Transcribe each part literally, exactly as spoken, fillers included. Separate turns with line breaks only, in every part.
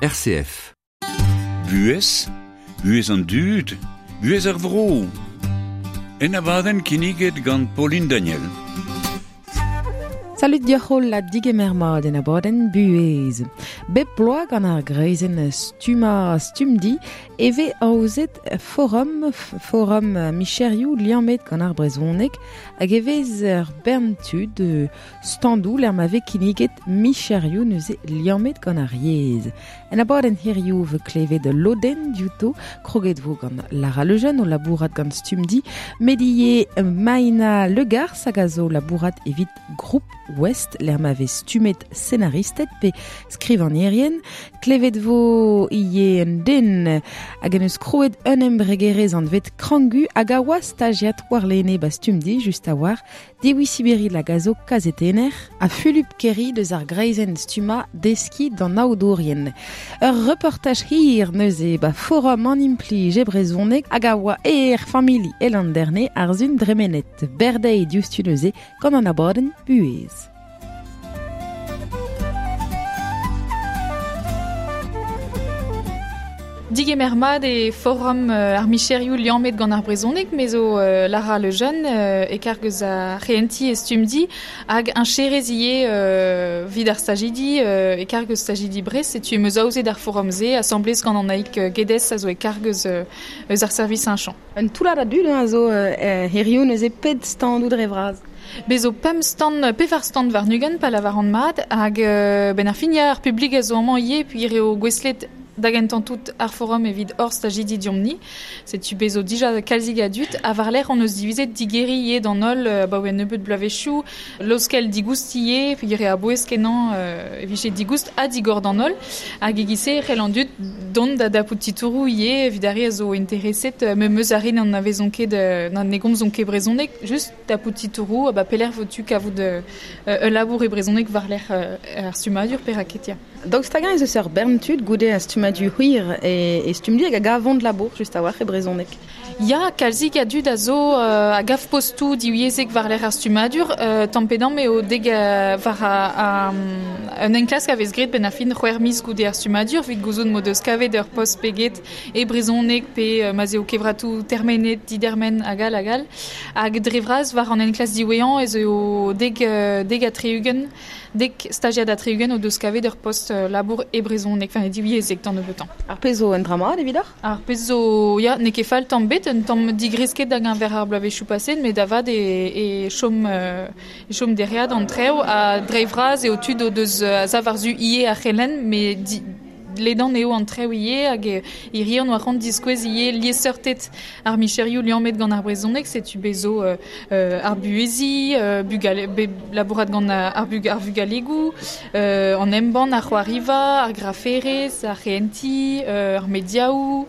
R C F.
Buhez, buhez an dud, buhez ar vro. En abadenn kinniget gant Pauline Daniel.
Salut dioc'hol la digemer mat en abadenn buhez. Bep bloaz gant ar greizenn stumma stumdi eve aozet forum, forum micherioù liammet gant ar brezhoneg hag evez ur bern tud standoù l'er ma vez kinniget micherioù neuze liammet gant ar yezh. En abadenn hirioù ve klevet lodenn diouto kroget vo gant Lara Lejeune o labourat gant Stumdi, medie Maïna Legars hag a zo labourat evit Groupe Ouest, l'er ma vez stumet scenaristet pe skrivanierien, klevet vo ie un den hag en eus kroet un embregerez an vet krangu hag a oa stagiat war lene ba stumdi just a war dewi Siberi la gazo kazetener a Fulup Kerry deus ar greizenn stumma deski d'an aodourien. Ur reportaj hir neuze ba forum an implij e brezhoneg hag a oa er famili el an derne ar zun dremenet berdei diouzhtu neuze gant an abadenn buhez.
Digemer mat e forum euh, ar micherioù liammet gant ar brezhoneg, me zo euh, Lara Lejeune euh, e karg eus ar c'hehentiñ e stumdi hag un cherez ivez euh, vid ar stajidi euh, e karg eus stajidi Brest, setu em eus aozet ar forum-se asamblez gant an aik Gedez a zo e karg eus, eus ar service un champ.
Un toullad a dud a zo euh, hirioù neuze pet standoù dre vras.
Bezo pemp stand, pevar stand war nugen pa lavar an mat hag euh, ben ar fin ya ar publik a zo amañ ivez puis eo gouestlet da gentan tout ar forum evit hor stajidi diomni. Setu bezo dija kalzig a dut, a war lec'h on eus divizet digeri ivez d'an holl euh, ba oa nebeut bloavezhioù, laoskel digoust ivez, peogwir eo a-bouez kenañ euh, e vije digoust ha digor d'an holl, hag e-giz-se c'hell an dud dont da dapout titouroù ivez evit ar re a zo intereset, euh, meus ar re n'an avezont ket, euh, n'an ne gomzont ket brezhoneg, just dapout titouroù, ba pelec'h vo tu kavout euh, ul labour e brezhoneg war lec'h euh, ar stummadur pe raket ya.
Daoust hag-eñ ez eus ur bern tud goude ar stummadur hir e, e stumdi hag a gavont labour just a-walc'h e brezhoneg.
Ya, kalzik a dud a zo euh, a gav postoù divyezhek war lec'h ar stummadur, euh, tamm pe damm eo deg euh, war a, a, un enklask a vez graet benn ar fin c'hwec'h miz goude ar stummadur, evit gouzout m'o deus kavet ur post peget e brezhoneg pe euh, ma'z eo kevratoù termenet, didermen hag all hag all. Hag dre vras war an enklask diwezhañ ez eo deg, euh, deg a tri-ugent, dek stagiad a tri-ugent o deus kavet ur post euh, labour e brezhoneg, enfin e divyezhek d'an nebeutañ.
Ar pezh zo un dra mat evidoc'h?
Ar pezh zo, ya, n'eo ket fall tamm bet, un tamm digresket hag envers ar bloavezhioù paset, met da vat e, e chom, euh, e chom dereat an trev, ha dre vras eo tud o deus euh, a sav war-zu ivez ar c'helenn, met di, ledan eo an trev ivez hag hiriv an oa c'hoant diskouez ivez liesseurted ar micherioù liammet gant ar brezhoneg, setu bezo euh, euh, ar buheziñ, euh, bugale, be, labourat gant ar, bug, ar vugalegoù, euh, an embann, ar c'hoariva, ar graferez, ar c'hehentiñ, euh, ar mediaoù,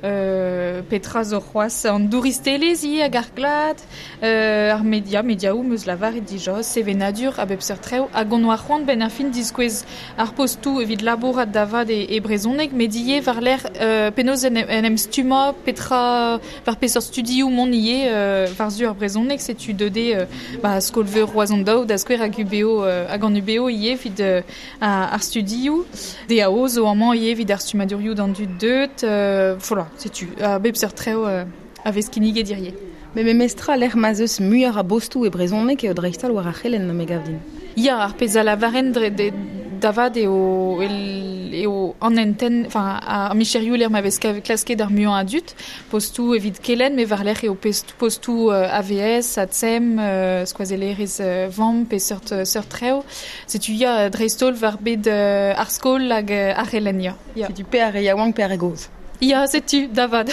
euh, petra zo c'hoazh an douristelezh ivez hag ar glad, euh, ar media, mediaoù meus lavaret dija, sevenadur a bep seurt trev, hag on oa c'hoant benn ar fin diskouez ar postoù evit labourat da vat e, e brezhoneg, met ivez war lec'h euh, penaos en, en em stummañ, petra war peseurt studioù mont ivez euh, war-zu ar brezhoneg, setu deuet euh, ba, skol-veur Roazhon daou da skouer hag U B O, euh, hag an U B O ivez evit euh, ar studioù, D A O zo amañ ivez evit ar stummadurioù d'an dud deut, euh, voilà, setu a bep seurt trev euh, a vez kinniget hirie.
Me memestra lec'h ma'z eus muioc'h a bostoù e brezhoneg eo dreist-holl war ar c'helenn me gav din.
Ya, ar pezh a lavaren dre, de, da vat eo, el, eo an enten, enfin, ar micherioù lec'h ma vez klasket ar muiañ a dud, postoù evit kelenn, met war lec'h eo postoù euh, A V S, A T S E M, euh, skoazellerez euh, vamm pe seurt, seurt trev. Setu ya dreist-holl war bet euh, ar skol hag ar c'helenn, ya. Ya.
Setu pe ar re yaouank pe ar re gozh.
Ya, setu, da vat.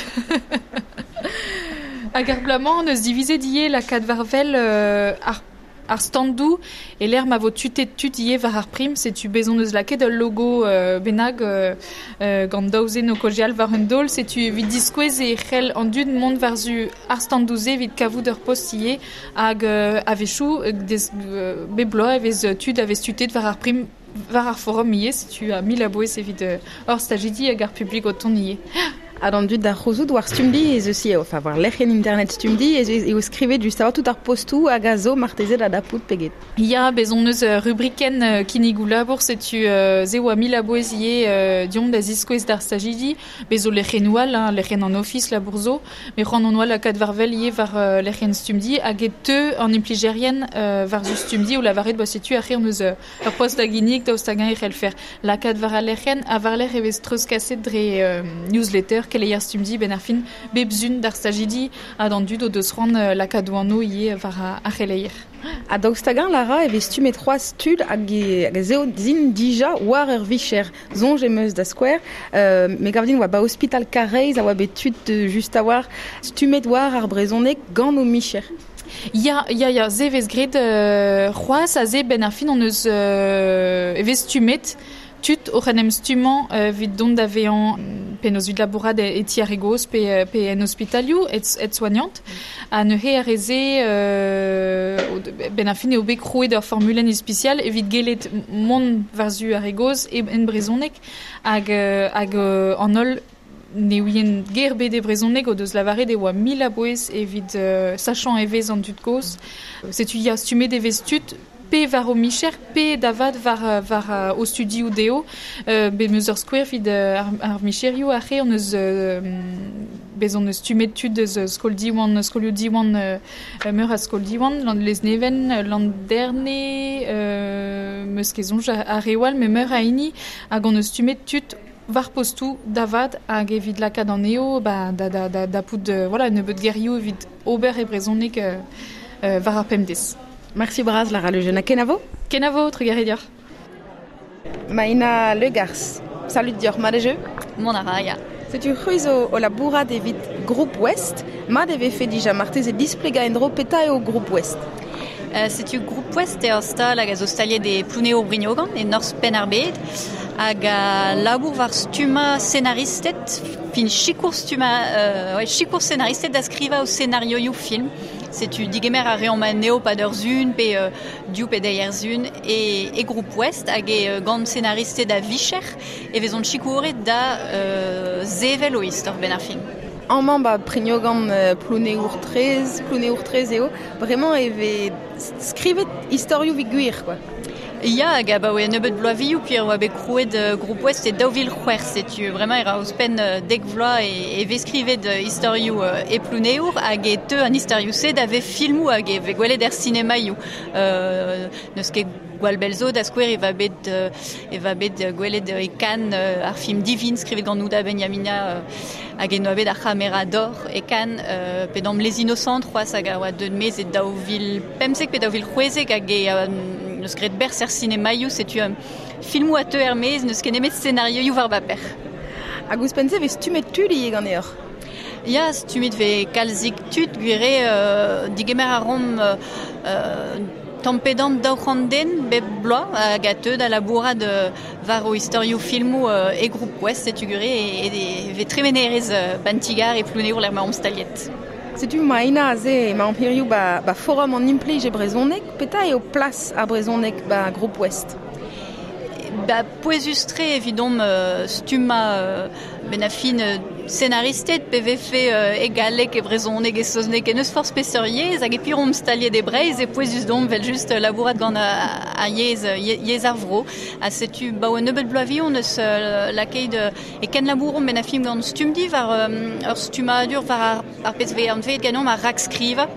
Hag ar bloaz-mañ eus divizet ivez lakaat war wel euh, ar ar standoù e lec'h ma vo tutet tud ivez war ar prim, setu bezon eus lakaet ul logo euh, bennak euh, euh, gant daou zen o kaozeal war un daol, setu evit diskouez e c'hell an dud mont war-zu ar standoù-se evit kavout ur post ivez hag euh, a-wechoù des, euh, bep bloaz e vez tud a vez tutet war ar prim war ar forum ivez, setu a mil a bouez evit euh, hor stajidi hag ar publik o tont ivez.
Ha d'an dud d'ar c'houzout war Stumdi ez eus eo, enfin war lec'hienn internet Stumdi ez eo skrivet just a tout ar postou hag a zo marteze da dapout peget.
Ya, bez on eus rubriken uh, kinnigoù labour, setu uh, ze oa mil a bouez ivez uh, diomp da ziskouez d'ar stajidi, bez zo lec'hiennoù all, hein, lec'hienn an ofis labour zo, met c'hoant on oa lakaat war wel ivez war uh, lec'hienn Stumdi hag e teu an implijerien uh, war zu Stumdi o lavaret ba setu ar c'he on eus uh, ur post da ginnig daoust hag-eñ e c'hellfer lakaat war al lec'hienn ha war lec'h e vez treuzkaset dre uh, newsletter keleier Stumdi ben ar fin bep zun d'ar stajidi ha d'an dud o deus c'hoant uh, lakaat oanno ivez war ar c'heleier.
Ha daoust hag-eñ Lara e vez stummet c'hoazh tud hag e, hag ez eo zin dija war ur vicher. Soñj em eus da skouer, euh, me gav din oa ba ospital Karaez a oa bet tud just a war stummet war ar brezhoneg gant o micher.
Ya, ya, ya, ze vez graet euh, c'hoazh a ze ben ar fin on eus euh, e vez stummet tud oc'h en em stummañ euh, evit dont da vezañ penaos evit labourat e, e ti ar re gozh pe, pe en ospitalioù et, et soignant. Ha neuze ar re-se euh, ben ar fin eo bet krouet ur formulenn ispisial evit gellet mont war-zu ar re gozh e en brezhoneg hag, hag an holl ne ouien ger bet e brezhoneg o deus lavaret e oa mil a bouez evit euh, sachañ e vez an dud kozh. Setu ya stummet e vez tud pe war o micher, pe davad war, war o studioù dezho, euh, bet meus ur skouer evit ar, ar micherioù ar re on eus euh, bez on eus stummet tud eus skol Diwan, skolioù Diwan, euh, meur a skol Diwan, lan Lesneven, lan Derne, euh, meus ket soñj ar re oal, met meur a hini, hag on eus stummet tud war postou davad hag evit lakaat an eo, ba, da, da, da, da pout, euh, voilà, nebeut gerioù evit ober e brezhoneg euh, euh, war ar pemdez.
Merci bras, Lara Le Jeune. Kenavo?
Kenavo, trugarez deoc'h.
Maïna Legars, salut deoc'h, mat eo?
Mont a ra, ya.
Setu c'hwi zo o labourat evit Groupe Ouest, mat e vefe dija marteze displegañ en-dro petra eo Groupe Ouest.
Uh, setu Groupe Ouest eo ur stal hag a zo staliet e Plouneour-Brignogan, e Norzh Penn-ar-Bed, hag a labour war stummañ scenaristed, fin sikour stummañ, euh, ouais, sikour scenaristed da skrivañ o scenarioioù film. Setu digemer a reomp anezho pad ur zun pe euh, div pe deir zun e, e Groupe Ouest hag e euh, gant scenaristed a vicher e vezont sikouret da euh, sevel o istor ben ar fin.
Amañ ba Brignogan euh, Plouneour treize, Plouneour treize eo, bremañ e vez skrivet istorioù evit gwir, quoi.
Ya, hag abaoe nebeut bloavezhioù puis oa bet krouet uh, Groupe Ouest e daou vil c'hwec'h, setu bremañ e ra ouzhpenn uh, dek vloaz e, e vez skrivet uh, istorioù uh, e Plouneour hag e teu an istorioù-se da vez filmoù hag e vez gwelet er sinemaioù. Uh, n'eus ket gwall bell zo da skouer e va bet, uh, e va bet gwelet e Cannes uh, ar film Divine skrivet gant Houda Benyamina uh, hag e noa bet ar c'hamera d'or e Cannes uh, pe d'am Les Innocents c'hoazh hag a oa deut mez e daou vil pemzek pe daou vil c'hwezek hag e uh, neus graet berzh er sinemaioù, setu um, filmoù a teu er maez, n'eus ket nemet scenarioioù war baper.
Hag ouzhpenn-se vez stummet tud ivez ganeoc'h?
Ya, stummet vez kalzik tud, gwir eo euh, digemer a romp euh, tamm pe damm daou c'hant den bep bloaz hag a teu da labourat euh, war o istorioù filmoù euh, e Groupe Ouest, setu gwir eo e, e, e vez tremenerez euh, ban ti-gar e Plouneour lec'h ma omp staliet.
Setu Maïna aze emañ hiziv ba, ba forum an implij e brezhoneg, petra eo plas ar brezhoneg ba Groupe Ouest?
Ba pouezus-tre evidomp euh, stummañ euh, ben a fin euh, scenaristed pe vefe euh, e galleg e brezhoneg e saozneg e n'eus forzh peseurt yezh hag e pir omp staliet e Breizh e pouezus domp vel just labourat gant a, a yezh, yezh ar vro. Ha setu ba o nebeut bloavezhioù neus euh, lakaet e ken labouromp ben a fin gant Stumdi war euh, ur stummadur war ar, ar pezh vez anvet ganeomp ar rakskrivañ.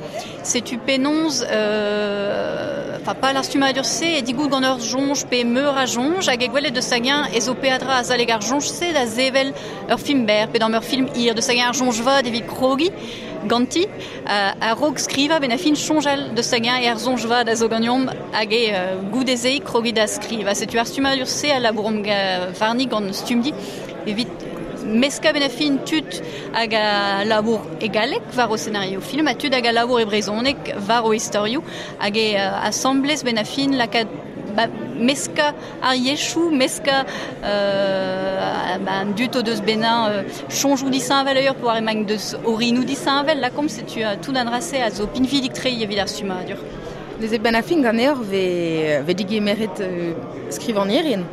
Setu penaos euh, enfin pas ar stummadur-se e digout gant ur soñj pe meur a soñj hag e gwelet deus hag-eñ ez o peadra azalek ar soñj-se da sevel ur film berr pe d'an ur film hir deus hag-eñ ar soñj vat evit krogiñ ganti uh, a-raok skrivañ ben a fin soñjal deus hag-eñ e ar soñj vat a zo ganeomp hag e uh, goude-se krogiñ da skrivañ. Setu ar stummadur-se a labouromp warni gant Stumdi evit meskañ ben a fin tud hag a labour e galleg war o scenario film ha tud hag a labour e brezhoneg war o istorioù hag e uh, asambles ben a fin lakaat ba, meskañ ar yezhoù, meskañ euh, ba, an dud o deus benañ euh, soñjoù disheñvel ur war emañ deus orinoù disheñvel, lakaomp setu uh, tout an dra-se a zo pinvidik-tre evit ar stummadur.
Neuze ben a fin ganeoc'h ve, ve digemeret euh, skrivagnerien?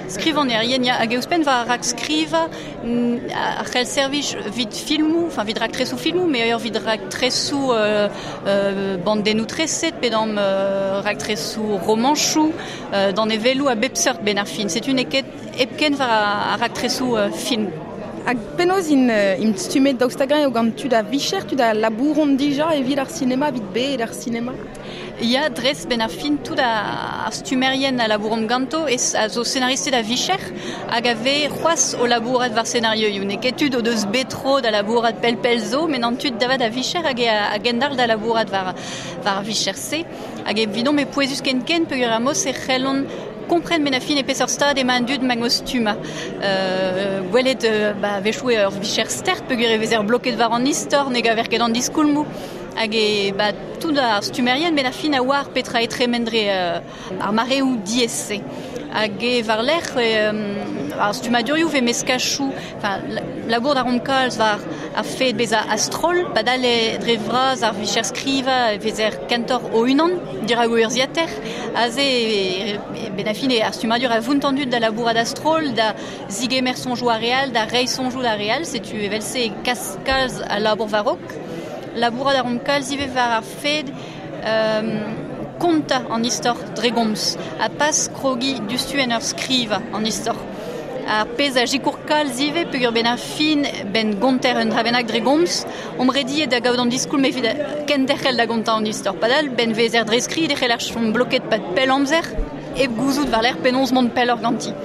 Skrivanerien, ya, hag euspen war rak skriva ar c'hell servij vid filmou, enfin vid rak tresou filmou, mais ailleurs vid rak tresou euh, euh, bandennou treset, pedam euh, rak tresou romanchou, euh, dan evelou a bep seurt ben ar fin. C'est une eket epken war ar rak tresou euh, filmou.
Hag penaos in, in stumet daoust hag-eñ eo gant tud a vicher, tud a labouron dija evit ar sinema, evit bed ar sinema?
Ya, dres ben ar fin tout ar stumerien a labouron ganto e a zo scenaristed a vicher hag a ve c'hoaz o labourat war scenarioioù. N'eo ket tud o deus betro da labourat pel-pel zo, met an tud davat a vicher hag e a gendal da labourat war, war vicher-se. Hag evidon me pouezus ken ken peogwir ar mos e c'hellont kompren men a fin e peseurt stad emañ an dud mag o stumma. Euh, gwelet euh, ba, vechoù ur vicher stert peogwir e vezer bloket war an istor, ne gaver ket an diskoulmoù. Hag e ba, tout ar stumerien ben a fin a oar petra e tremendre euh, ar mareoù diaes-se. Hag e war lerc'h euh, ar stummadurioù ve meskachou, enfin, labour da rom kalz war ar fed beza astrol, padal e dre vras ar vicher skriva vezer kentor o unan, dirag o urziater, aze e, e, ben a fin e ar stummadur a vount an dud da labourat astrol, da zigemer sonjoù a real, da reiñ sonjoù da real, setu evel-se e kas kalz a labour varok. Labourat a rom kalz ivez war ar fed euh, konta an istor dre gomz, a pas krogi dustu en ur skriva an istor. Ar pezh a sikour kalz ivez peogwir ben ar fin ben gonter un dra bennak dre gomz, omp rediet da gaout an diskoulm evit kenderc'hel da gontañ an istor. Padal ben vezer dre skrid e c'heller chom bloket pad pell amzer, hep gouzout war lerc'h penaos mont pelloc'h ganti.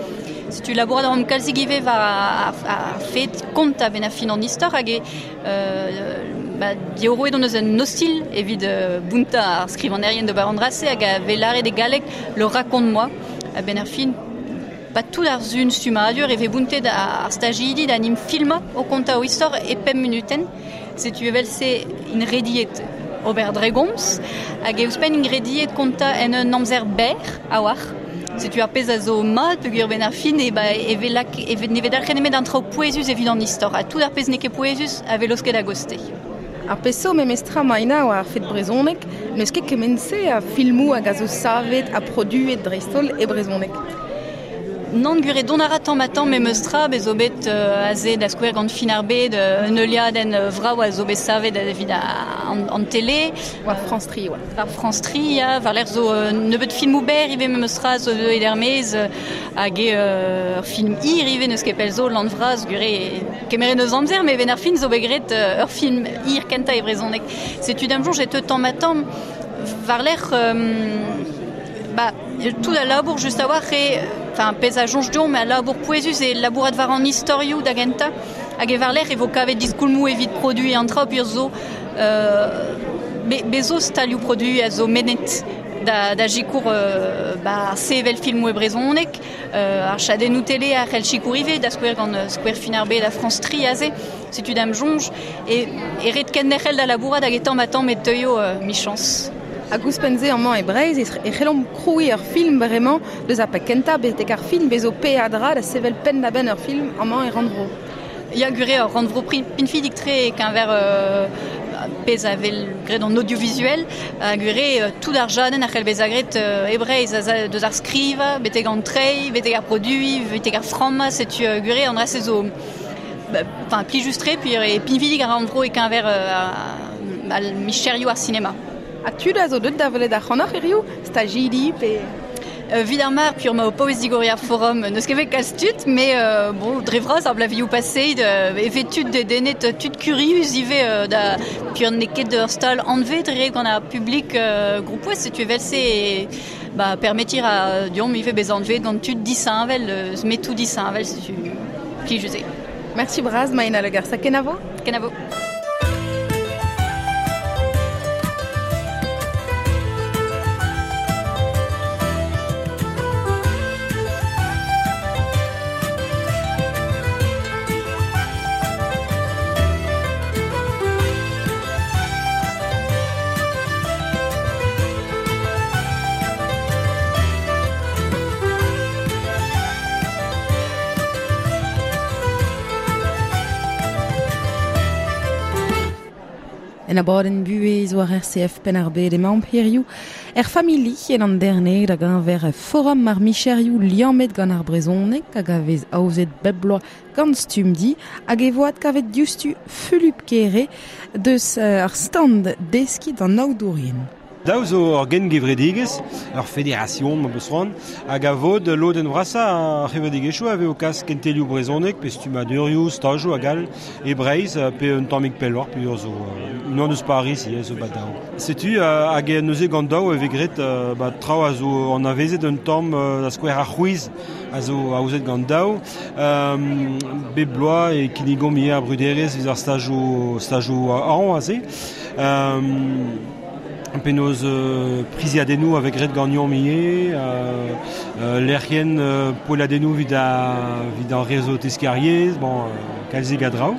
Setu labourat a rom kalzik ivez war ar, ar fed konta ben ar fin an istor hag e euh, ba, diorroet hon eus un ostil evit euh, bountañ ar skrivanerien d'ober an dra-se hag a vez lâret e galleg le raconte-moi. A ben ar fin, ba tout ar zun stummadur e vez bountet ar stajidi da nim filma o kontañ o istor e pemp minuten. Setu evel-se in rediet ober dre gomz hag e ouzhpenn in rediet kontañ en un amzer berr a-walc'h. Setu ar pezh a zo mat peogwir ben ar fin e ba e vez lak e vez ne vez dalc'het nemet an traoù pouezus evit an istor. Ha tout ar pezh n'eo ket pouezus a vez laosket a-goste.
Ar pezh zo memestra maina war ar fed brezhoneg, n'eus ket kement-se a filmoù hag a zo savet ha produet dreist-holl e brezhoneg.
Nann gwir eo dont a ra tamm ha tamm memes tra, bez zo bet euh, aze da skouer gant fin ar bed, euh, un heuliadenn vrav a zo bet savet evit an, an tele.
War France tri, oa.
War France tri, ya, war lerc'h zo euh, nebeut filmoù berr ivez memes tra zo deuet er-maez, hag eo euh, ur film hir ivez n'eus ket pell zo, lan vras, gwir eo kemeret eus amzer, met ben ar fin zo bet graet euh, ur film hir kentañ e brezhoneg. Setu da'm soñj e teu tamm ha tamm war lerc'h euh, ba, tout a labour just a-walc'h eo enfin, pezh a soñj deomp, a labour pouezus e labourat war an istorioù da gentañ hag e war-lerc'h e vo kavet diskoulmoù evit produiñ an traoù peogwir zo euh, be, be zo stalioù produiñ a zo mennet da, da sikour euh, ba, sevel filmoù e brezhoneg, euh, ar chadennoù tele a c'hell sikour ivez, da skouer gant skouer fin ar bed a France tri aze, setu da'm soñj, e, e ret kenderc'hel da labourat hag e tamm ha tamm e teuio euh, michañs.
Hag ouzhpenn-se amañ e Breizh e c'hellomp krouiñ ur film bremañ deus ar pek kentañ betek ar film bezo peadra da sevel penn-da-benn ur film amañ e rannvro.
Ya gwir eo ur rannvro pinvidik-tre e-keñver euh, pezh a vel graet an audiovisuel, ha gwir eo tout ar jadenn a c'hell bezañ graet euh, e Breizh, a deus ar skrivañ, betek an treiñ, betek ar produiñ, betek ar frammañ, setu euh, gwir eo an dra-se zo ba, enfin, plijus-tre, puis e pinvidik ar rannvro e-keñver euh, al micherioù ar sinema.
Ha tud a zo deuet da welet ac'hanoc'h hiziv, stajidi pe...
Euh, vid ar mar, pur ma o paouez digoriñ ar forum, n'eus ket bet kalz tud, mais euh, bon, dre vras ar blavioù paseet, euh, e vez tud dedennet, tud kurius ivez euh, da pur n'eo ket ur stal anvet dre gant ar publik euh, groupoez, setu evel-se e, ba, permetir a deomp ivez bezañ anvet gant tud disheñvel, euh, metoù disheñvel, setu plijus eo.
Merci bras, Maïna Le Gars. Kenavo?
Kenavo.
En abadenn buhez war R C F Penn-ar-Bed emaomp hiziv er famili en an derne da gañver forum ar micherioù liammet gant ar brezhoneg hag a vez aozet bep bloaz gant Stumdi hag e vo adkavet diouzhtu Fulup Kere deus ar stand deskiñ d'an aodourien.
Daou zo ur gengevredigezh, ur federation ma beus c'hoant, hag a vod lodenn vrasañ ar c'hevredigezhioù a vez o kas kentelioù brezhoneg pe stummadurioù, stajoù hag all e Breizh pe un tammig pelloc'h pe ur zo unan eus Paris ivez zo bat daou. Setu hag neuze gant daou e vez graet ba traoù a zo anavezet un tamm da skouer ar c'hwiz a zo aozet gant daou. Um, bep bloaz e kinnigomp ivez ar bruderezh evit ar stajoù stajoù hañv aze. Um, Penaos euh, priziadennoù avec graet gagnon ivez, euh, euh, lec'hienn euh, poelladennoù evit ar, ar réseau teskariez, bon, euh, kalzik a draoù.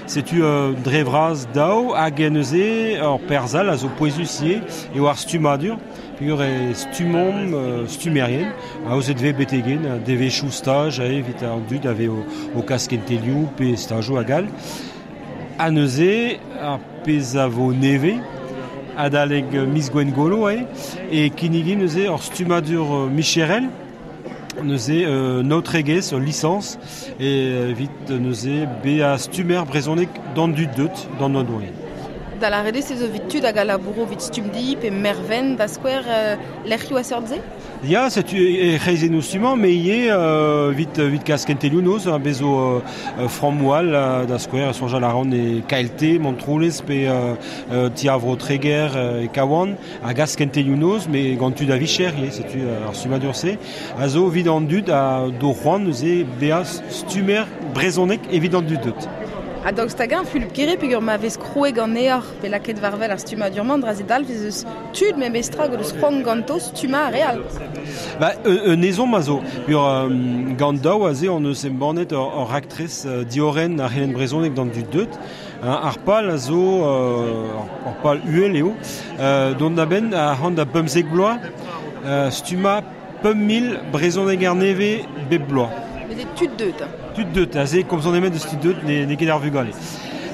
Setu euh, dre vras daou hag neuze ur perzhal a zo pouezus ivez eo ar stummadur, peogwir e stummomp euh, stummerien, aozet vez betegen, devezhioù staj evit an dud a vez o, o kas kentelioù pe stajoù hag all. Ha neuze ar pezh a vo nevez, adalek miz Gwengolo eo, e kinnigin neuze ur stummadur micherel, neuze euh, naotregezh, ur lisañs, e evit neuze bezañ stummer brezhoneg d'an dud deut, d'an oadourien.
Da lâret eo zo evit tud hag a labouro evit Stumdi pe Merven da skouer euh, lec'hioù a seurt-se?
Ya, setu e c'hreizennoù stummañ, met ivez euh, evit, evit kas kentelioù noz, bez zo euh, frammoù all da skouer, soñjal a ran e K L T, Montroulez, pe euh, Ti ar Vro Treger e Kawan, a gas kentelioù noz, met gant tud a vicher ivez, setu ar stummadur-se, a zo evit an dud a do c'hoant neuze bezañ stummer brezhoneg evit an dud deut.
Ha daoust hag-eñ Fulup Kere peogwir ma vez krouet ganeoc'h pe lakaet war-wel ar stummadur-mañ dra ze dalv ez eus tud memestra hag o deus c'hoant ganto stummañ ar re all.
Ba, un ezhomm a zo. Peogwir euh, gant daou aze on eus embannet ur, ur raktres euh, diorren ar c'helenn brezhoneg d'an dud deut. Hein, ar pal a zo, euh, ar pal uhel eo, euh, dont da benn a c'hant da pemzek bloaz, euh, stummañ pemp mil brezhoneg ar nevez bep bloaz.
Mais tud deut.
Tud deut, aze komzon emet eus tud deut ne, ne ket ar vugale.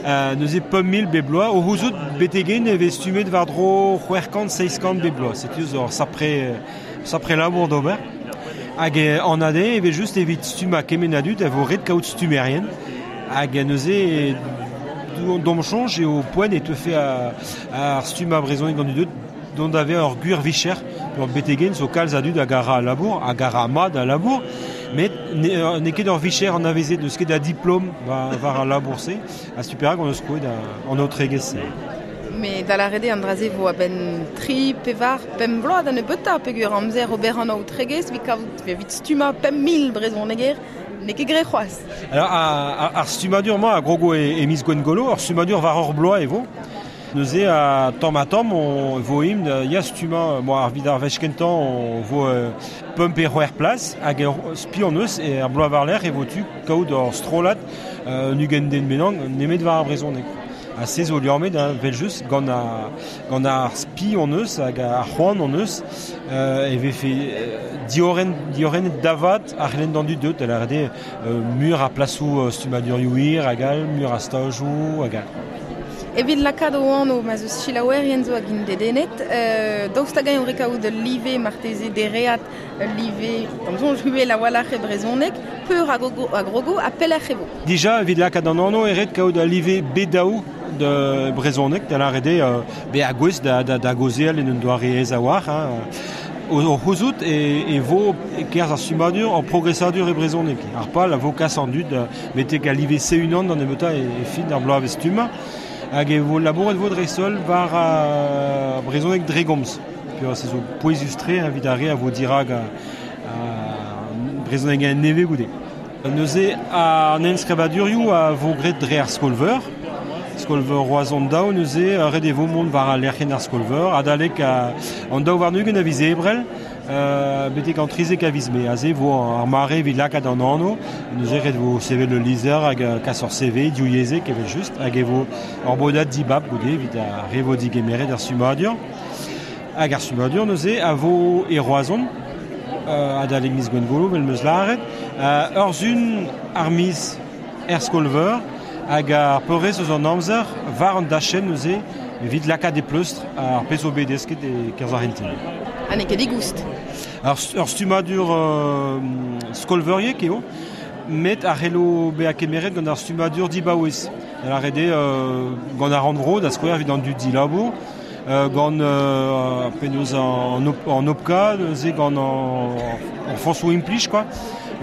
Euh, neuze pemp mil bep bloaz, o c'houzout betegen e vez stummet war-dro c'hwec'h kant, seizh kant bep bloaz. Setu zo ur sapre, sapre labour d'ober. Hag an ade e vez just evit stummañ kement a dud a vo ret kaout stummerien. Hag neuze d'om soñj eo poent e teufe a, ar stummañ brezhoneg gant dud dont ave ur gwir vicher ur betegen zo kalz a dud hag a ra a labour, hag a ra mat a labour, met ne, n'eo ket ur vicher anavezet, n'eus ket a diplom war, war al labour-se, ha setu perak on eus krouet an aotregezh-se.
Mais da lâret eo an dra-se vo a-benn tri, pevar, pemp bloaz da nebeutañ peogwir amzer ober an aotregezh evit kaout evit stummañ pemp mil brezhoneger n'eo ket graet c'hoazh.
Alors ar, ar stummadur-mañ a grogo e, e miz Gwengolo, ur stummadur war ur bloaz e vo. Neuze a tamm ha tamm on vo imp ya stummañ, bon, ar vid ar wech kentañ on vo euh, pemp pe c'hwec'h plas hag ur spi on eus e ar bloaz war-lerc'h e vo tu kaout ur strollad euh, un ugent den bennak nemet war ar brezhoneg. Ha se zo liammet, hein, vel just, gant ar, gant ar spi on eus hag ar c'hoant on eus euh, e vefe euh, diorren, diorren davat ar c'helenn d'an dud deut, da lâret eo euh, mur a plasoù euh, stummadurioù hir hag all, mur a stajoù hag all.
Evit lakaat o anv ma zeus selaouerien zo hag int dedennet, euh, daoust hag-eñ eo kaout ul live marteze dereat, ul live, da'm soñj uhel a-walc'h e brezhoneg, peur hag a grogo ha pelec'h e vo.
Dija, evit lakaat an anv eo ret kaout ul live B daou de brezhoneg, da lâret eo bezañ gouest da, da, da gaozeal en un doare aes a-walc'h. Hein. O, o c'houzout e, e vo e-kerzh ar stummadur ur progresadur e brezhoneg. Ar pal a vo kas an dud betek al live C unan d'an nebeutañ e, e fin ar bloavezh stummañ. Hag e vo labouret vo dreist-holl war uh, brezhoneg dre gomz. Peogwir se zo pouezus-tre evit ar re a vo dirak a, a brezhoneg a nevez goude. Neuze an enskrivadurioù a vo graet dre ar skol-veur. Skol-veur Roazhon daou neuze ret e vo mont war al lec'hienn ar skol-veur adalek a, an daou warn-ugent a viz Ebrel euh, betek an trizek a viz Mae. Aze vo ar mare evit lakaat an anv, neuze ret vo sevel ul lizher hag kas ur C V divyezhek evel just, hag e vo ur bodad dibab goude evit ar re vo digemeret ar stummadur. Hag ar stummadur neuze a vo e Roazhon, euh, adalek miz Gwengolo, vel meus lâret, euh, ur sun ar miz er skol-veur, hag ar peurrest eus an amzer war an dachenn neuze Evit lakaat e pleustr ar pezh zo bet desket e kerzh ar c'hentel.
Ha n'eo ket digoust.
Ar, ur stummadur euh, skolveuriek eo, met ar c'hello bezañ kemeret gant ar stummadur dibaouez. Da lâret eo euh, gant ar rannvro da skouer evit an dud dilabour, euh, gant euh, penaos an, an O P C A, neuze gant an, an foñsoù implij quoi.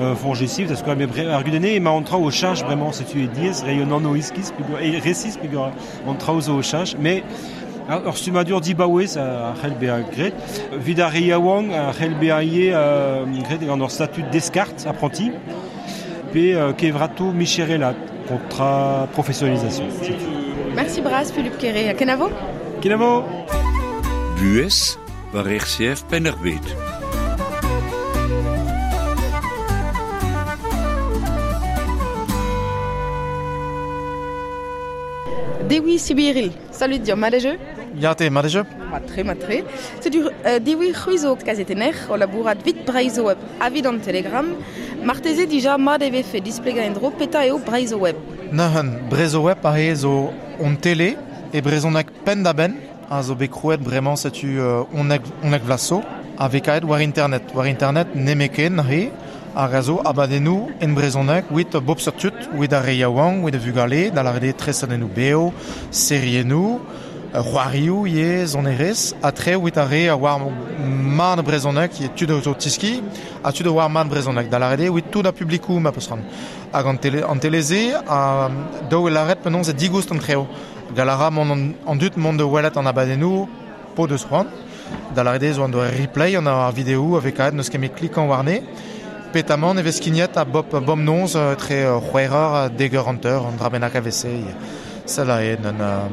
Euh, foñs da skouer, met ar gudenn eo emañ an traoù o cheñch bremañ, setu eo diaes reiñ un anv iskis, e resis peogwir an traoù zo o cheñch, met ur stummadur dibaouez a c'hell bezañ graet. Evit ar re yaouank a c'hell bezañ ivez euh, graet gant ur statud deskard apprenti, pe euh, kevratoù micherelat, contrat professionnalisation.
Merci bras Philippe Kéré. Ha kenavo?
Kenavo!
Buhez war R C F Penn-ar-Bed.
Dewi Sibiril, salut dir, mat eo?
Ya te, mat eo?
Mat-tre, mat-tre. Setu euh, Dewi c'hwi zo kazetenner o labourat 'vit Breizh Web ha 'vit an Telegram. Marteze dija mat e vefe displegañ en-dro petra eo Breizh Web.
Neuzen, Breizh Web aze zo on tele e brezhoneg penn-da-benn a zo bet krouet bremañ setu euh, unnek, unnek vloaz zo a vez kavet war internet. War internet nemeken re hag a zo abadennoù en brezhoneg 'vit bop seurt tud, 'vit ar re yaouank, 'vit ar vugale, da lâret eo tresadennoù bev, seriennoù, c'hoarioù ivez, sonerezh, ha tre 'vit ar re a oar mat brezhoneg, eo tud zo tiski, ha tud a oar mat brezhoneg, da lâret eo 'vit tout ar publikoù ma peus c'hoant. Hag an tele, an tele-se a daou e lâret penaos eo digoust an treo. Gall a ra mont an, an dud mont da welet an abadennoù p'o deus c'hoant, da lâret eo zo an doare replay an ar video a vez kavet n'eus ket met klikañ warne. Petamant e vez skignet a bop bemnoz tre c'hwec'h eur ha dek eur hanter an dra bennak a vez-se. Sell aze un euh,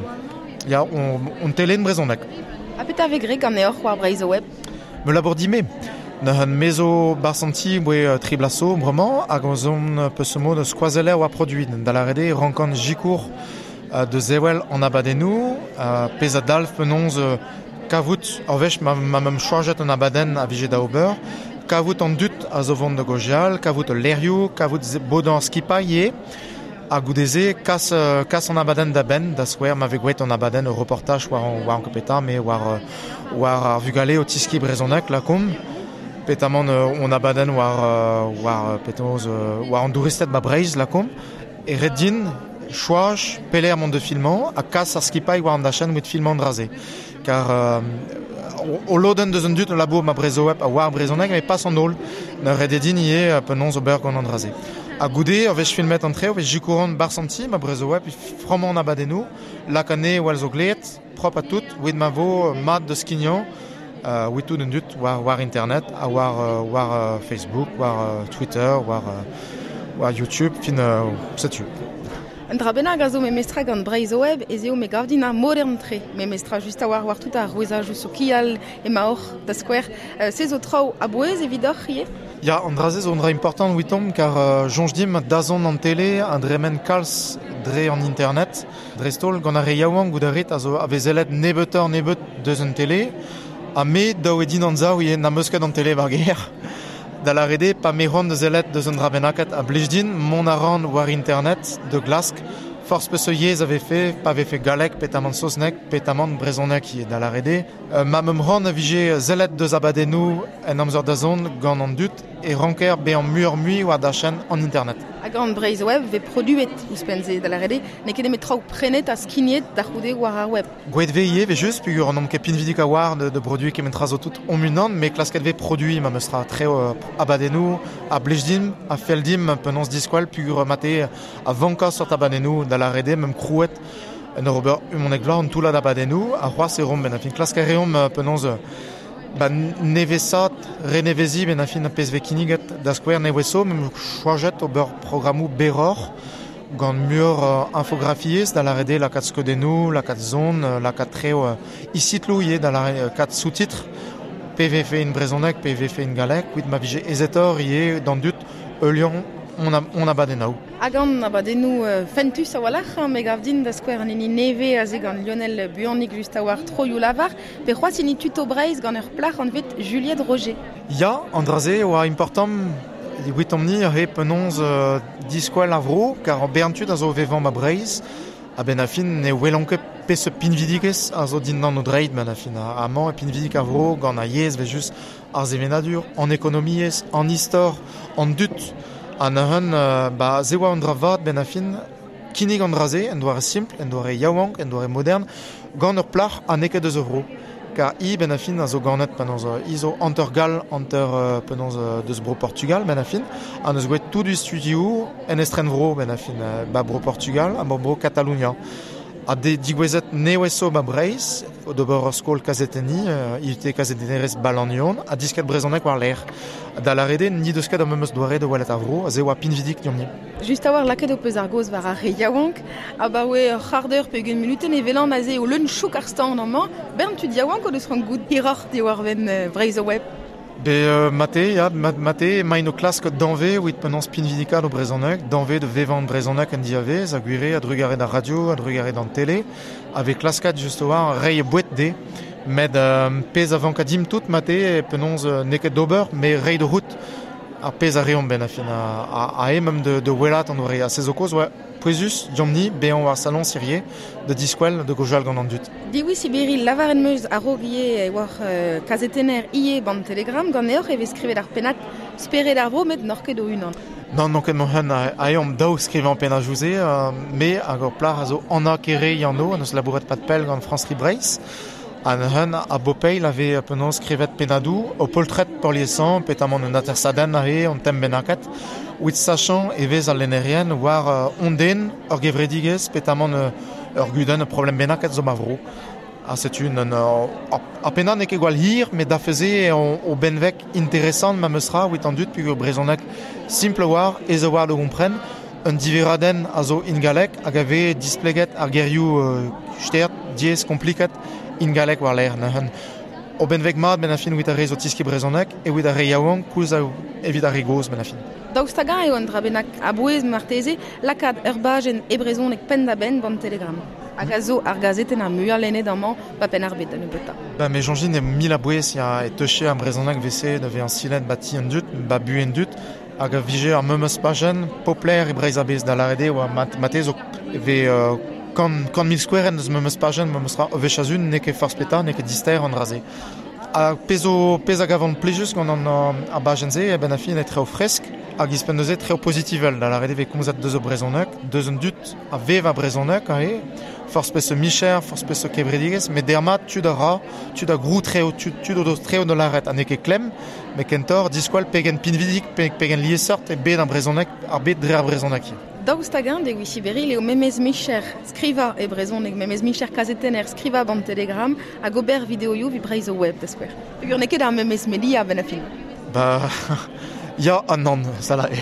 ya on, on tele en brezhoneg.
Ha petra vez graet ganeoc'h war Breizh Web?
Me labour din-me. Neuzen me zo 'barzh an ti 'boe tri bloaz zo bremañ hag on zon peus mod skoazeller war produiñ. Da lâret eo rankan sikour da sevel an abadennoù, pezh a dalv penaos kavout ur wech ma, ma 'm choajet an abadenn a vije da ober, kavout an dud a zo vont da gaozeal, kavout ul lec'hioù, kavout bodañ skipailh ivez, ha goude-se kas, kas an abadenn da benn, da skouer ma vez gwraet an abadenn ur reportaj war an, war an petra, me war, war ar vugale o tiskiñ brezhoneg lakaomp, petamant on abadenn war, war penaos war an douristed ba Breizh lakaomp, e ret din choaz pelec'h mont da filmañ ha kas ar skipailh war an dachenn 'vit filmañ an dra-se. Kar euh, o lodenn deus an dud o labour ma Breizh Web a oar brezhoneg, met pas an holl. Ne ret eo din ivez penaos ober gant an dra-se. Ha goude, ur wech filmet an tre, ur wech sikouran 'barzh an ti, ma Breizh Web, frammañ an abadennoù, lak anezhe war zo gleet, prop ha tout, 'vit ma vo mat da skignañ, euh, 'vit tout an dud war, war internet, ha war, war Facebook, war Twitter, war, war YouTube, fin euh, setu.
Un dra bennak a zo memestra gant Breizh Web ez eo me gav din ar modern-tre. Memestra just a-walc'h war tout ar rouezajoù sokial emaoc'h da skouer. Euh, se zo traoù a-bouez evidoc'h ivez?
Ya, an dra-se zo un dra important 'vitomp kar euh, soñj dimp dazont an tele a dremen kalz dre an internet. Dreist-holl gant ar re yaouank goût a rit a zo a vez sellet nebeutoc'h nebeut deus an tele. Ha me dav eo din anzav ivez n'am eus ket an tele war gêr. Da lâret eo pa 'm eus c'hoant da sellet deus un dra bennaket a blij din mont a ran war internet da glask forzh peseurt yezh a vefe, pa vefe galleg, petamant saozneg, petamant brezhoneg ivez da lâret eo. Euh, ma 'm c'hoant a vije sellet deus abadennoù en amzer da zont gant an dud e ranker bezañ muioc'h-mui war dachenn an internet.
Ha gant Breizh Web 'vez produet ouzhpenn-se da lâret eo, n'eo ket nemet traoù prenet ha skignet da c'houde war ar web.
Gwraet 'vez ivez 'vel-just, peogwir n'omp ket pinvidik a-walc'h de, de produiñ kement tra zo tout hon-unan, met klasket 'vez produiñ memestra treo euh, abadennoù a blij dimp, a fell dimp penaos diskwel peogwir mate a vankañ seurt abadennoù da lâret eo 'meump krouet en ur ober unnek vloaz an toullad abadennoù, ha c'hoazh e reomp ben a fin klask a reomp penaos ba nevesat, reneveziñ ben a fin ar pezh 'vez kinniget da skouer nevez zo, 'meump choajet ober programmoù berroc'h gant muioc'h euh, infografiezh da lâret eo lakaat skeudennoù, lakaat son, lakaat treo euh, istitloù ivez da lâret lakaat sous-titres, pe vefe en brezhoneg, pe vefe en galleg, 'vit ma vije aezetoc'h ivez d'an dud heuliañ on, a, on abadennoù.
Hag an abadennoù euh, fentus a-walc'h, hein, me gav din da skouer an hini nevez aze gant Lionel Buannic just a-walc'h troioù lavar, pe c'hoazh hini Tuto Breizh gant ur plac'h anvet Juliette Roger.
Ya, an dra-se oa important evitomp-ni re penaos euh, diskwel ar vro, kar an bern tud a zo vevañ ba Breizh, A ben a fin ne welan ket pes pinvidigez a zo dindan o dreid ben a fin. Amañ e pinvidik a vro gant a yezh ve just ar sevenadur, an ekonomiezh, an istor, an dut. An hun, euh, ba, ze oa an dra vat ben a fin, kinnig an dra-se, en doare simpl, en doare yaouank, en doare modern, gant ur plac'h a neket eus ur vro. Kar i ben a fin a zo ganet penaos i zo hanter gall, hanter euh, penaos deus bro Portugal ben a fin, an eus gwelet tout du studio en estren vro ben a fin, ba bro Portugal, ha bro Catalunya. A de digouezet neweso ba Breizh, d'ober ur skol kazetenni, uh, I U T kazetennerez Balanion, a disket brezhoneg war l'air. Da l'arede, ni deus ket ar memes doare de welet ar vro, a ze oa pinvidik diomp ni.
Just a war lakaet ho peus ar goz war ar re yaouank, a ba oe ur c'hardeur pe ugent minuten e velan aze o leun chouk ar stand amañ, bern tud yaouank o deus c'hoant goût hiroc'h diwar wenn euh, Breizh o web.
Be euh, mate, ya, mate, main o klask danve oit penaos pinvidikad o brezhoneg, danve de vevan brezhoneg en diavez, a gwire, a drugare d'ar radio, a drugare d'an tele, ave klaskat just oa rei bouet de, med euh, pez a vanka dim tout mate, e penaos euh, neket d'ober, me rei de route ar pez a reomp ben a fin a, a, a emem de, de welat an doare a sez o koz, oa pouezus, diomp-ni, bean war salon sirier, de diskwel, de gojal gant an dut.
Diwi Sibiri lavaren meus a-raok ivez war euh, kazetenner ie ban Telegram, gant eoc'h e vez skrivet ar pennad spered ar vro, met n'oc'h ket o unan.
Non, non ket m'hun a, a eomp daou skrivañ pennad jouze, euh, me hag ur plac'h a zo Anna Kere yanno, an eus labouret pat pell gant France Tri Breizh, an hun a bopeil ave penaos skrivet pennadoù, o poltred peurliesañ, petamant un atersadenn aze, an tem bennaket, oit sachant e vez al lennerien war uh, onden ur gevredigezh, petamant uh, ur gudenn ur problem bennaket zo ma vro. Ha setu un, un, uh, a pennad n'eo ket gwall hir, met da feze o, o benveg interesant ma meus ra oit an dud peogwir brezhoneg simple war, aes a war da gompren, un diveradenn a zo ingalek hag a vez displeget ar gerioù uh, stert, diaes, kompliket, ingalek war l'air neuzen. O benveg mat ben a fin oit ar re zo tiski brezhoneg e oit ar re yaouank koulz a evit ar re gozh ben a fin.
Daoust hag-eñ eo an dra bennak a-bouez marteze lakaat ur bajenn e brezhoneg penn-da-benn ban Telegram. Hag a zo ar gazetenn ar muiañ lennet amañ ba penn ar bed da nebeutañ.
Ba me soñj din e mil a-bouez ya e teuche ar brezhoneg vese da vezañ silet ba ti an dud, ba bu an dud, hag a vije ar memes pajenn popler e Breizh a-bezh da lâret eo oa mat, mate zo ve euh, kant, kant mil skouerenn eus memes pajenn memes ra wechazun n'eo ket forzh petra, n'eo ket dister an dra-se. Ha pezh o pezh a gavan plijus gant an ar bajenn-se e ben a fin e treo fresk hag izpenn neuze treo pozitivel da lâret eo vez komzet deus o brezhoneg, deus an dud a vev a brezhoneg aze, forzh peseurt micher, forzh peseurt kevredigezh, met dermat tud a ra, tud a grou treo, tud, tud o deus treo da lâret ha n'eo ket klemm, met kentoc'h diskoal pegen pinvidik, pe, pegen liesseurt e bed ar brezhoneg, ar bed dre ar brezhoneg.
Daoust hag-eñ Dewi Siberil eo memez micher skrivañ e brezhoneg, memez micher kazetenner skrivañ ban Telegram hag ober videoioù evit Breizh o web da skouer. Peogwir n'eo ket ar memez media ben a fin.
Ba, ya ha nann, ça la eo.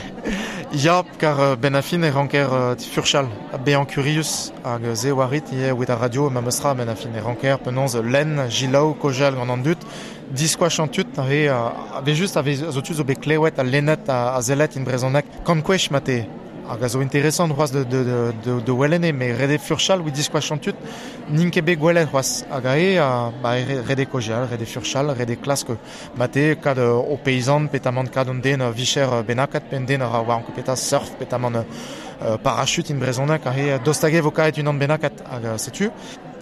Ya, kar euh, ben a fin e ranker euh, furchal, bezañ kurius hag se oa rit ivez oet ar radio ma meus ra ben a fin e ranker penaos lenn, jilaou, kojal gant an dud, diskoach an tud, ave, ave just ave zo tud zo bet klewet a lennet a, a zellet in brezhoneg kant kwech mate. Hag a zo interesant c'hoazh de, de, de, de, de welene, me rede furchal oit diskoach an tud, n'int ket bet gwelet c'hoazh. Hag a eo, ba, rede kojal, rede furchal, rede klask mate, kad o peizant, petamant kad an den vicher bennaket, pe an den a ra war an peta surf, petamant euh, parachute in brezhoneg, hag eo dostage vo kaet unan bennaket, hag setu.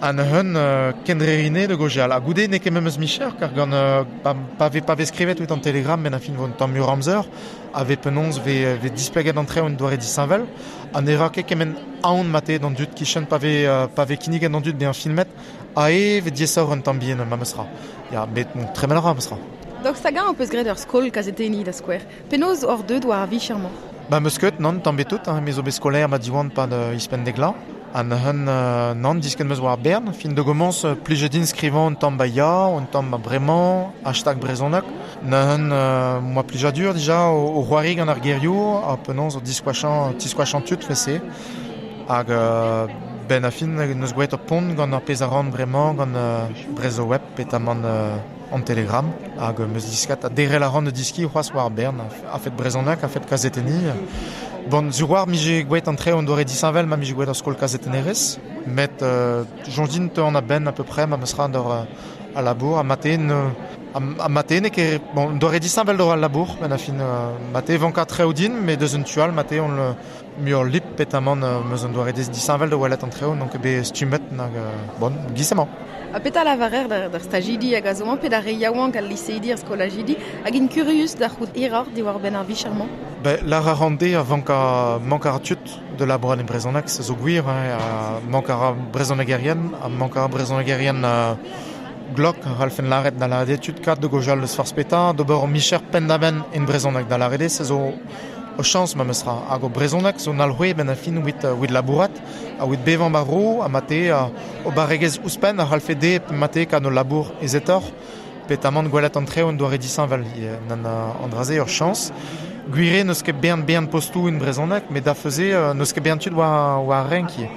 An hun euh, kendrerine de gojal. Ha goude n'eo ket memes micher, kar gant euh, pa, pa ve, pa ve skrivet oit an Telegram ben a fin vo un tamm mur amzer, a ve penaos ve, ve displeget an tre un doare disheñvel, ha ne ra ket kement aon mate d'an dud kichen pa ve, euh, pa ve kinniget d'an dud bezañ filmet, a e ve diaesoc'h un tamm bihan ma meus ra. Ya, met bon, tremen a ra meus ra.
Daoust hag-eñ ho peus graet ur skol kazetenniñ da skouer. Penaos oc'h deuet war ar vicher-mañ?
Ba meus ket, nann, tamm bet tout, hein, me zo bet skolaer ma diwan pad euh, ispenn degla. An hun euh, nann disket meus war ar bern, fin de gomañs euh, plijet din skrivañ un tamm ba ya, un tamm ba bremañ, hashtag brezhoneg. Neuzen euh, moa plijadur dija o, o c'hoari gant ar gerioù, ha penaos o diskoachañ, tiskoachañ tud fese. Hag euh, ben a fin neus gwelet ur pont gant ar pezh a ran bremañ gant euh, Breizh o web, petamant euh, an Telegram. Hag meus diskat a derel a ran de diski c'hoazh war ar bern, a fet brezhoneg, a fet kazetenniñ. Bon, sur war mije gwelet an tre an doare disheñvel ma mije gwelet ur skol kazetennerez, met euh, soñj din te an a-benn à peu près ma meus ra d'ur euh, a labour, a matin euh, A, a mate ne ket, bon, doare disheñvel d'ober al labour, ben a fin euh, mate vanka treo din, mais deus un tual mate on le muioc'h lip petamant euh, meus un doare disheñvel da welet an treo, donc be stummet nag euh, bon, giz-emañ.
A peta lavarer d'ar, d'ar stajidi hag a zo pe d'ar re yaouank al liseidi ar skolajidi hag in kurius da c'hout hiroc'h diwar ben ar vicher-mañ.
Ben, l'ar a rande a vanka mank ar tud de labourat en brezhoneg, se zo gwir, hein, a mank ar brezhonegerien, a mank ar brezhonegerien euh, glok, ralfen laret da la tud kat de gojal eus farz peta, d'ober o micher penn-da-benn en brezhoneg da larede, se zo o chañs ma meus ra. Hag o brezhoneg zo nalc'hwez ben a fin wit, wit labourat, a wit bevañ ba vro, a mate a, o barregez ouzhpenn a ralfe de mate kan o labour ezetoc'h, petamant gwelet an treo en doare disheñvel nan an draze ur chañs. Gwire n'eus ket bern bern postou en brezhoneg, met da feuze n'eus ket bern tud war, war renk ivez.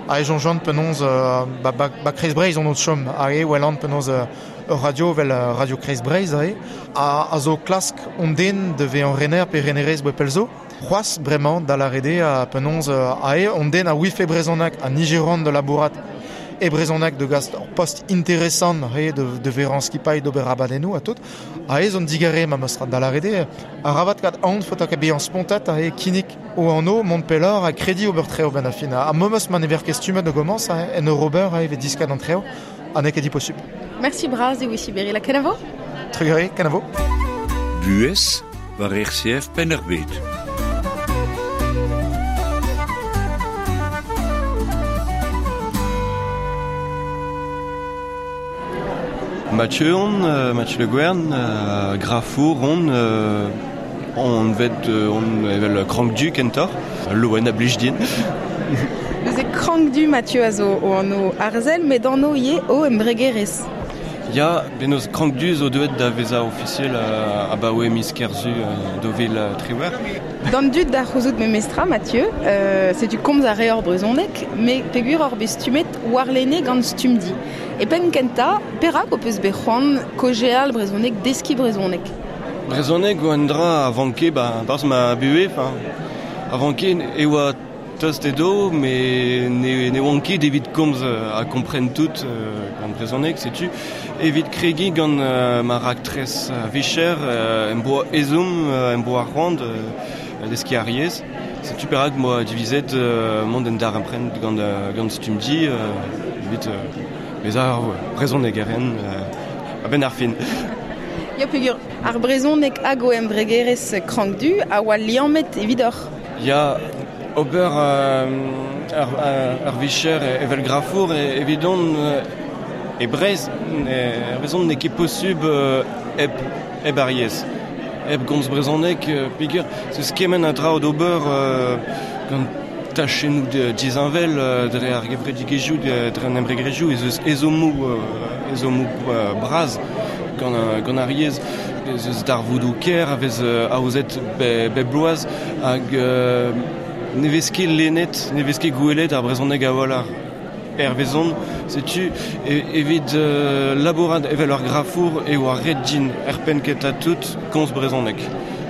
A e jonjant penaos euh, ba, ba, ba Kreiz Breizh on chom a e welan penaos euh, ur radio vel euh, radio Kreiz Breizh a e a, a zo klask on den de ve an rener pe renerez boe pelzo c'hoazh bremañ da larede a penaos euh, a e on den a wife brezhoneg a nigeran de labourat e brezhoneg de gast ur post interesant re de, de veran skipailh d'ober abadennoù a tout a e zon digare ma meus da larede a rabat kat an faota ket bezañ spontat a e kinnig o anno mont pelloc'h a kredi ober treo ben a fin a memes ma ne ver ket stummet de gomañs a en ur ober a e vez diskat an treo a n'eo ket diposubl.
Merci bras e wisi berri la kenavo.
Trugarez, kenavo.
Buhez war R C F Penn-ar-Bed.
Mathieu on, euh, Mathieu Le Guern, euh, grafour on, euh, on vet on evel krank du kentor, loen a blij din.
Neuze krank du Mathieu a zo o anv arzel, met anv ivez o embregerezh.
Ya, benoz krank du zo deuet da vezañ ofisiel uh, abaoe miz Kerzu uh, do vil uh, triwec'h.
D'an dud da c'houzout memestra, Mathieu, euh, setu komz a reor brezhoneg, met peogwir hor bet stummet warlene gant Stumdi. E penn kentañ, perak ho peus bet c'hoant kaozeal brezhoneg, deskiñ brezhoneg?
Brezhoneg oa un dra a vanke, ba, barzh ma buhez, enfin, a vanke e oa tost edo, met ne, ne oan ket evit komz a kompren tout euh, gant brezhoneg, setu. Evit kregiñ gant euh, ma raktres vicher, euh, em boa ezhomm, euh, em boa c'hoant euh, deskiñ ar yezh. Setu perak moa divizet euh, mont en darempred gant, euh, gant Stumdi, euh, evit euh, bezañ ar brezhonegeren euh, a-benn ar fin.
Ya peogwir ar brezhoneg hag o embregerezh krank du a oa liammet evidoc'h.
Ya, ober euh, ar, ar vicher evel grafour evidon euh, e Breizh, e brezhoneg n'eo ket posubl euh, hep, hep ar yezh. Hep gomz brezhoneg, euh, peogwir zeus kement a dra d'ober euh, gant tachennoù disheñvel euh, dre ar gevredigezhioù, dre an embregerezhioù, ez eus ezhommoù, euh, ezhommoù euh, bras gant, gant ar yezh. Ez eus darvoudoù ker a vez euh, aozet be, bep bloaz hag euh, ne vez ket lennet, ne vez ket gwelet ar brezhoneg a-walc'h hervezon, setu e, evit euh, labourat evel ur grafour e oa ret din er penn kentañ tout komz brezhoneg.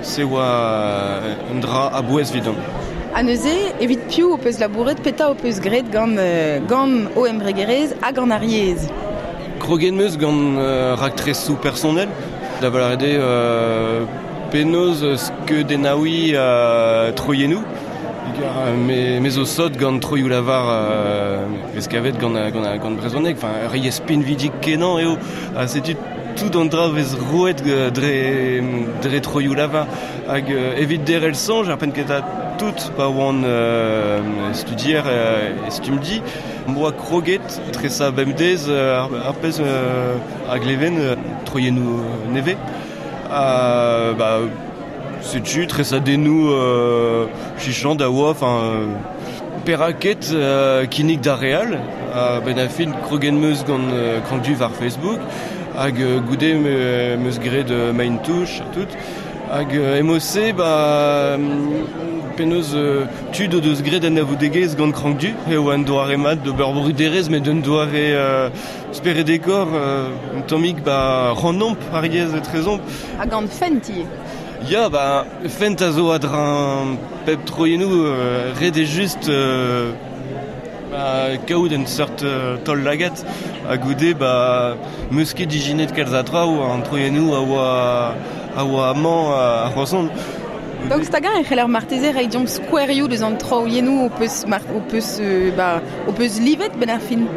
Se oa un dra a-bouez evidon.
Ha neuze, evit piv ho peus labouret, petra ho peus graet gant, euh, gant o embregerezh hag gant ar yezh?
Kroget 'm eus gant euh, raktresoù personnel, da lavaret eo euh, penaos skeudennaouiñ euh, troiennoù. Me, me zo sot gant troioù lavar euh, vez kavet gant, gant, gant brezhoneg, enfin, ur yezh pinvidik kenañ eo, ha setu tout an dra vez roet dre, dre troioù lavar. Hag euh, evit derc'hel soñj, ar penn kentañ tout pa oan euh, studier euh, e Stumdi, m'boa kroget tresañ bemdez euh, ar, ar pezh euh, a gleven euh, troiennoù nevez. Euh, bah, setu tresadennoù euh, chichant da oa, enfin, euh, peraket euh, kinnig da real, euh, ben a fin kroget 'm eus gant euh, krank du war Facebook, hag euh, goude me, 'm eus graet euh, main touch ha tout, hag euh, emose ba penaos euh, tud o deus graet an avoudegezh gant krank du, e oa un doare mat d'ober bruderezh met un doare euh, speredekor, euh, un tammig ba rannomp ar yezh etrezomp.
Ha gant fent ivez.
Ya, ba, fent a zo a-dreñv pep troiennoù, euh, ret eo just euh, Ba, kaout en seurt euh, tol lagat a goude ba meus ket dijinet kalz a traoù an troiennoù a oa a oa amañ a c'hoazon.
Donc stagan e c'heller marteze reiñ deomp skouerioù deus an troiennoù o peus mar, o peus euh, ba o peus livet ben ar fin.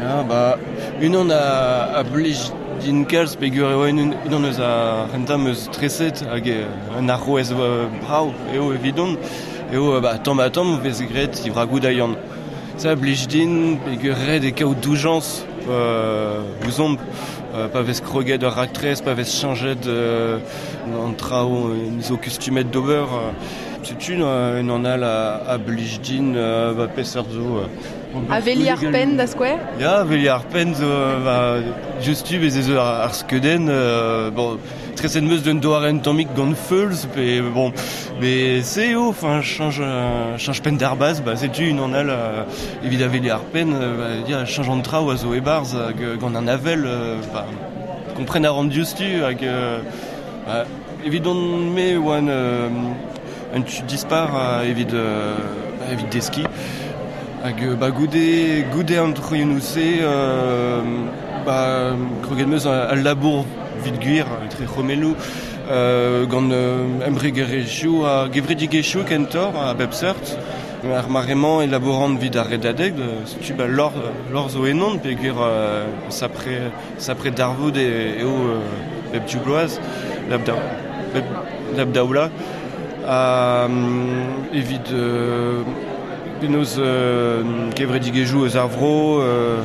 Ya ba unan a a blij din kalz peogwir eo unan eus ar c'hentañ meus treset hag un arouez brav eo evidon eo ba tamm ha tamm vez graet divragoù da Yann. Ça blij din peogwir ret e kaout doujañs euh, ouzomp euh, pa vez kroget ur raktres, pa vez chañjet euh, an traoù zo kustumet d'ober. Euh, setu un an all a, a blij din euh, ba peseurt zo. Euh,
A veli ar penn da skouer?
Ya, veli ar penn zo, ba, justu bez ez ar, ar skeudenn, euh, bon, treset meus d'un doare tammig gant feulz, pe bon, mais se eo, enfin, change, change penn d'ar baz, ba, setu un an all euh, evit a veli ar penn, euh, ba, dia, change an traoù a zo e-barzh hag gant an avel, euh, ba, kompren a ran diouzhtu hag euh, ba, evit on me oan euh, un tu dispar euh, evit, euh, ba, evit deski. Hag ba goude, goude an troiennoù se, euh, ba, kroget meus al labour vit gwir, etre c'homelloù, euh, gant euh, embregerezhioù ha gevredigezhioù kentoc'h a bep seurt. Ar mare-mañ e labouran vit ar redadeg, setu ba lor, lor zo ennon, peogwir euh, sapre, sapre darvoud e, eo euh, bep div bloaz, lab da, bep, lab daoula. Euh, evit euh, penaos euh, kevredigezhioù eus ar vro, euh,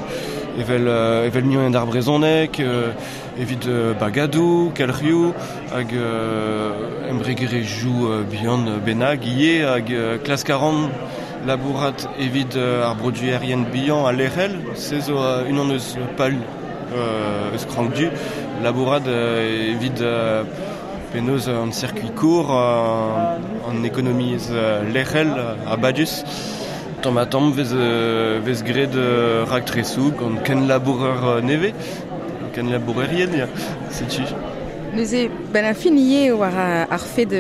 evel, euh, evel mignon d'ar brezhoneg, euh, evit euh, bagadoù, kelc'hioù, hag euh, embregerezhioù euh, bihan bennak ivez, hag euh, klask a ran labourat evit euh, ar produerien bihan a lec'hel, se zo euh, unan eus pal euh, eus krank du, labourat euh, evit euh, penaos an circuit court, euh, an ekonomiezh euh, lec'hel a badus. Tamm ha tamm vez, euh, vez graet euh, raktresoù gant ken labourer euh, nevez, ken labourerien, ya, setu.
Neuze, ben a fin ivez war ar fed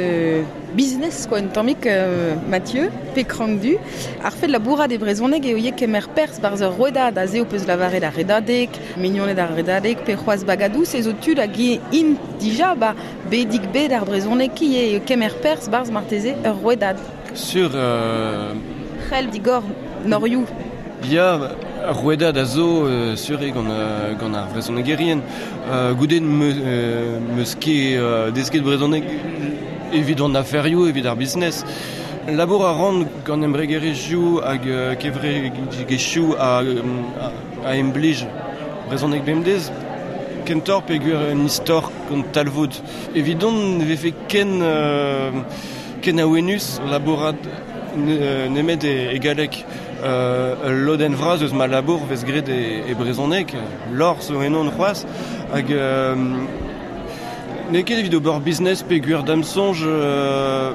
business quoi, un tammig euh, Mathieu, pe krank du. Ar fed labourat e brezhoneg eo ivez kemer perzh barzh ur rouedad, aze ho peus lavaret ar redadeg, mignoned ar redadeg, pe c'hoazh bagadoù, se zo tud hag int dija ba bedig bed ar brezhoneg ki eo kemer perzh barzh marteze ur rouedad.
Sur euh...
C'hell digor norioù.
Ya, ar rouedad a zo euh, sur eo gant, euh, gant ar vrezhonegerien. Euh, goude me, euh, meus ket euh, desket brezhoneg evit an aferioù, evit ar business. Labour a ran gant embregerezhioù hag euh, kevredigezhioù a, a, a emblij brezhoneg bemdez. Kentoc'h peogwir un istor gant talvoud. Evidon ne vefe ken, euh, ken awenus labourat nemet e, e galleg. Euh, lodenn vras eus ma labour vez graet e, e brezhoneg, lor zo ennon c'hoazh, hag euh, n'eo ket evit ober business peogwir da'm soñj euh,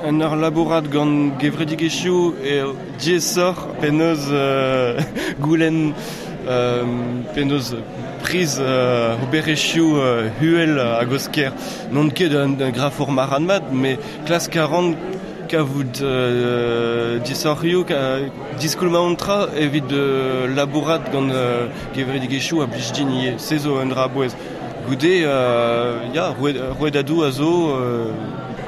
en ur labourat gant gevredigezhioù e diaesoc'h penaos euh, goulenn euh, penaos priz euh, oberezhioù euh, huel hag osker. N'on ket un, un grafour marc'had mat, met klask a ran kavout euh, disoc'hioù, diskoulmañ an tra evit euh, labourat gant euh, gevredigezhioù a blij din ivez. Se zo un dra a-bouez. Goude, euh, ya, rouedadoù a zo... Euh...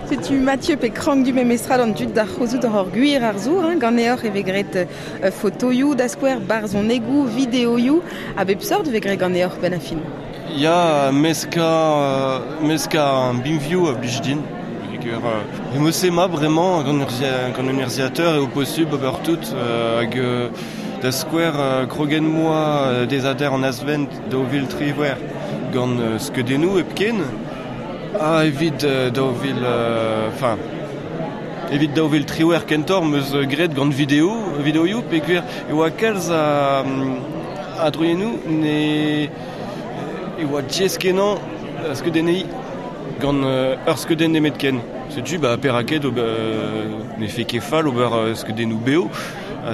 Setu Mathieu pe krank du memestra d'an dud d'ar c'hozout ur gwir ar zour, hein, ganeoc'h e vez graet euh, fotoioù da skouer, barzhonegoù, videoioù, a bep seurt vez graet ganeoc'h ben a fin.
Ya, meska, euh, meska an binvioù a blij din. Euh, e ma bremañ gant un urzhiataer eo posubl ober tout euh, hag euh, da skouer euh, krogen moa euh, dezader an azvent daou vil triwec'h gant euh, skeudennoù hepken ha evit euh, daou vil enfin euh, evit daou vil triwec'h kentoc'h meus graet gant video videoioù peogwir e oa kalz a, a droiennoù ne e oa diaes kenañ skeudenniñ gant euh, ur skeudenn nemetken. Setu ba perak ket ober ne fe ket fall ober euh, skeudennoù beo.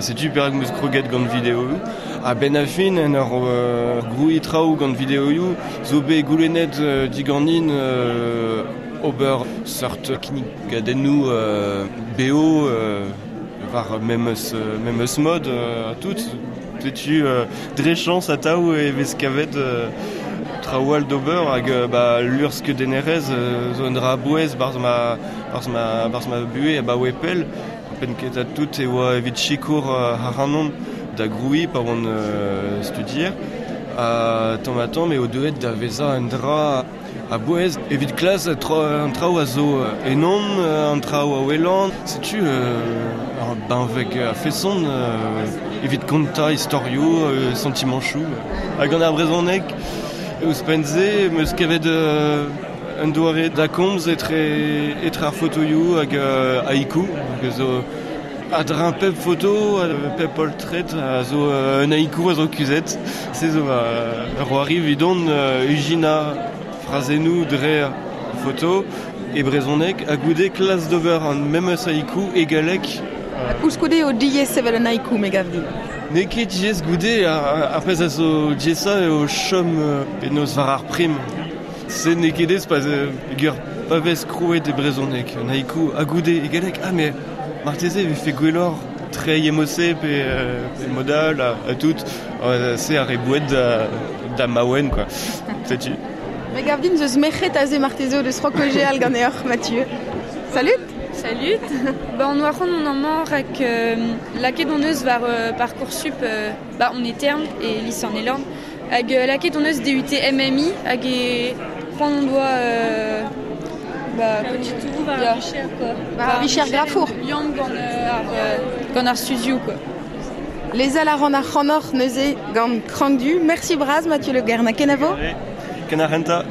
Setu perak meus kroget gant videoioù. Ha ben a fin en ur euh, grouiñ traoù gant videoioù zo bet goulennet euh, diganin euh, ober seurt kinnigadennoù euh, beo euh, War memes, memes mod euh, a tout. Setu euh, dre chance a taou e vez kavet euh, traoù d'ober hag euh, ba, lur skeudennerez euh, zo un dra bouez barz ma, barz ma, barz ma buhe a ba oe pell. Pen ket a tout e oa evit sikour euh, haranon da groui pa oan euh, studier. A tamm ha tamm eo deuet da vezañ un dra a bouez evit klas tra, an traoù a zo enon, an traoù a welan. Setu euh, ar benveg a feson euh, evit kontañ istorioù, euh, sentimanchoù. Hag an ar brezhoneg ouzhpenn-se meus kavet euh, un doare da komz etre, etre ar fotoioù hag euh, haiku, hag zo a dra pep foto, a pep poltred a zo euh, un haiku a zo kuzhet. Se zo uh, ur c'hoari evidon euh, ijinañ frazennoù dre foto e brezhoneg ha goude klas d'ober an memes haiku e galleg.
Ha koulskoude eo diaes sevel un haiku, me gav din.
N'eo ket diaes goude, ar, ar pezh a zo diaesañ eo chom euh, penaos war ar prim. Se n'eo ket aes pa gur pa vez krouet e brezhoneg, un haiku ha goude e galleg, ah mais marteze e vefe gwelloc'h treiñ emose pe, euh, pe modal a, a tout, euh, se ar re boued da, da maouen quoi. Setu.
Me gav din zeus merc'hed aze marteze o deus c'hoant kaozeal ganeoc'h, Mathieu. Salut.
Salut. Ba on oa c'hoant mont amañ rak euh, lakaet hon eus war euh, Parcoursup euh, ba on e Terme e lise an Elorn hag euh, lakaet hon eus D U T M M I hag e c'hoant hon doa euh, ba
war
ya.
ar vicher quoi.
War ar vicher grafour.
Liamm gant euh, ar, euh, gant ar studioù quoi.
Lezel a ran ar c'hanoc'h neuze gant Krank Du. Merci bras Mathieu Le Guern. Kenavo?
Ken ar renta.